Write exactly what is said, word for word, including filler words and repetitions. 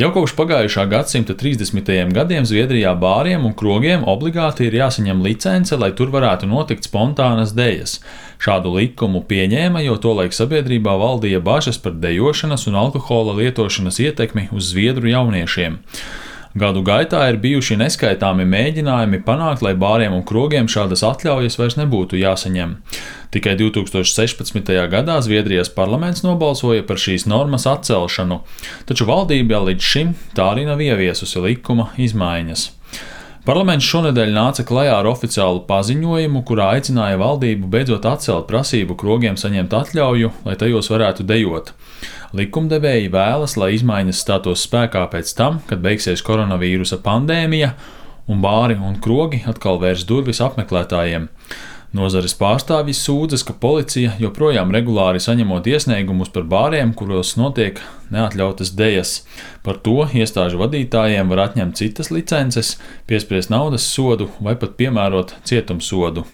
Jau kopš pagājušā gadsimta trīsdesmitajiem gadiem Zviedrijā bāriem un krogiem obligāti ir jāsaņem licence, lai tur varētu notikt spontānas dejas. Šādu likumu pieņēma, jo tolaik sabiedrībā valdīja bažas par dejošanas un alkohola lietošanas ietekmi uz zviedru jauniešiem. Gadu gaitā ir bijuši neskaitāmi mēģinājumi panākt, lai bāriem un krogiem šādas atļaujas vairs nebūtu jāsaņem. Tikai divs tūkstoši sešpadsmitajā gadā Zviedrijas parlaments nobalsoja par šīs normas atcelšanu, taču valdība līdz šim tā arī nav ieviesusi likuma izmaiņas. Parlaments šonedēļ nāca klajā ar oficiālu paziņojumu, kurā aicināja valdību beidzot atcelt prasību krogiem saņemt atļauju, lai tajos varētu dejot. Likumdevēji vēlas, lai izmaiņas stātos spēkā pēc tam, kad beigsies koronavīrusa pandēmija un bāri un krogi atkal vērs durvis apmeklētājiem. Nozares pārstāvji sūdzas, ka policija joprojām regulāri saņemot iesniegumus par bāriem, kuros notiek neatļautas dejas. Par to iestāžu vadītājiem var atņemt citas licences, piespriest naudas sodu vai pat piemērot cietumsodu.